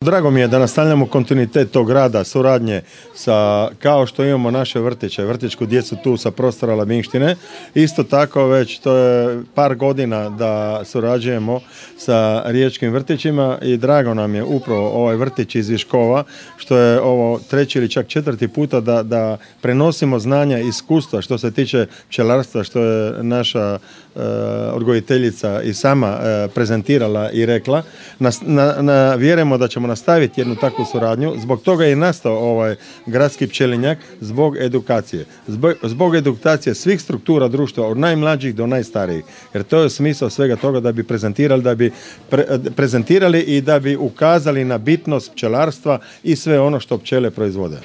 Drago mi je da nastavljamo kontinuitet tog rada, suradnje kao što imamo naše vrtiće, vrtićku djecu tu sa prostora Labinštine. Isto tako već to je par godina da surađujemo sa riječkim vrtićima i drago nam je upravo ovaj vrtić iz Viškova, što je ovo treći ili čak četvrti puta da prenosimo znanja i iskustva što se tiče pčelarstva, što je naša odgojiteljica i sama prezentirala i rekla. Vjerujemo da ćemo nastaviti jednu takvu suradnju. Zbog toga je nastao ovaj gradski pčelinjak, zbog edukacije. Zbog edukacije svih struktura društva, od najmlađih do najstarijih. Jer to je smisao svega toga, da bi prezentirali i da bi ukazali na bitnost pčelarstva i sve ono što pčele proizvode.